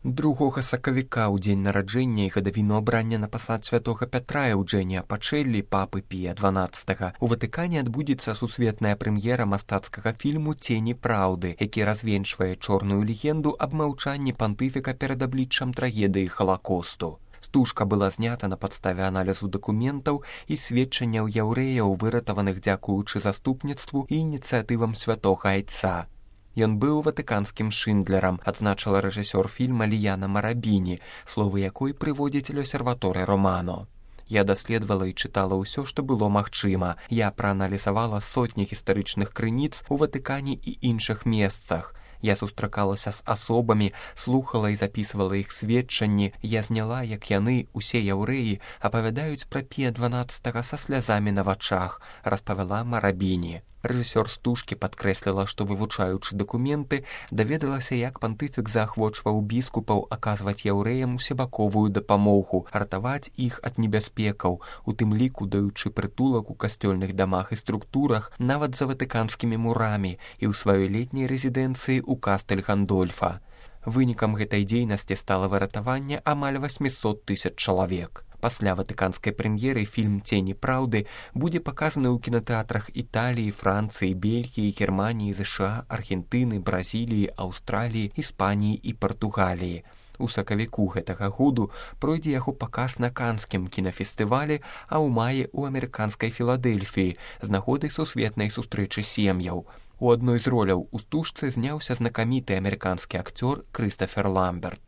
2 сакавіка ў дзень нараджэння і гадавіну абрання на пасад святога Пятра Эўджэнія Пачэллі, папы Пія XII, у Ватыкане адбудзецца сусветная прэм'ера мастацкага фільму «Цені праўды», які развенчвае чорную легенду аб маўчанні пантыфіка перад абліччам трагедыі Халакосту. Стужка была знята на падставе аналізу дакументаў і сведчанняў яўрэяў, выратаваных дзякуючы заступніцтву і ініцыятывам святога Айца. Ён быў ватыканскім Шындлерам, адзначыла рэжысёр фільма Ліяна Марабіні, словы якой прыводзіць Лёсерваторе Романо. Я даследавала і чытала ўсё, што было магчыма. Я прааналізавала сотні гістарычных крыніц у Ватыкане і іншых месцах. Я сустракалася з асобамі, слухала і запісвала іх сведчанні. Я зняла, як яны, усе яўрэі, апавядаюць пра Пія XII са слязамі на вачах, распавяла Марабіні. Рэжысёр стужкі падкрэсліла, што, вывучаючы дакументы, даведалася, як пантыфік заахвочваў біскупаў аказваць яўрэям усебаковую дапамогу, ратаваць іх ад небяспекаў, у тым ліку даючы прытулак у касцёльных дамах і структурах, нават за ватыканскімі мурамі і ў сваёй летняй рэзідэнцыі ў Кастэль Гандольфа. Вынікам гэтай дзейнасці стала выратаванне амаль 800 000 чалавек. Пасля ватыканскай прэм'еры фільм «Цені праўды» будзе паказаны ў кінатэатрах Італіі, Францыі, Бельгіі, Германіі, ЗША, Аргентыны, Бразіліі, Аўстраліі, Іспаніі і Партугаліі. У сакавіку гэтага году пройдзе яго паказ на канскім кінафестывалі, а ў маі ў амерыканскай Філадэльфіі з нагоды сусветнай сустрэчы сем'яў. У адной з роляў у стужцы зняўся знакаміты амерыканскі акцёр Крыстафер Ламберт.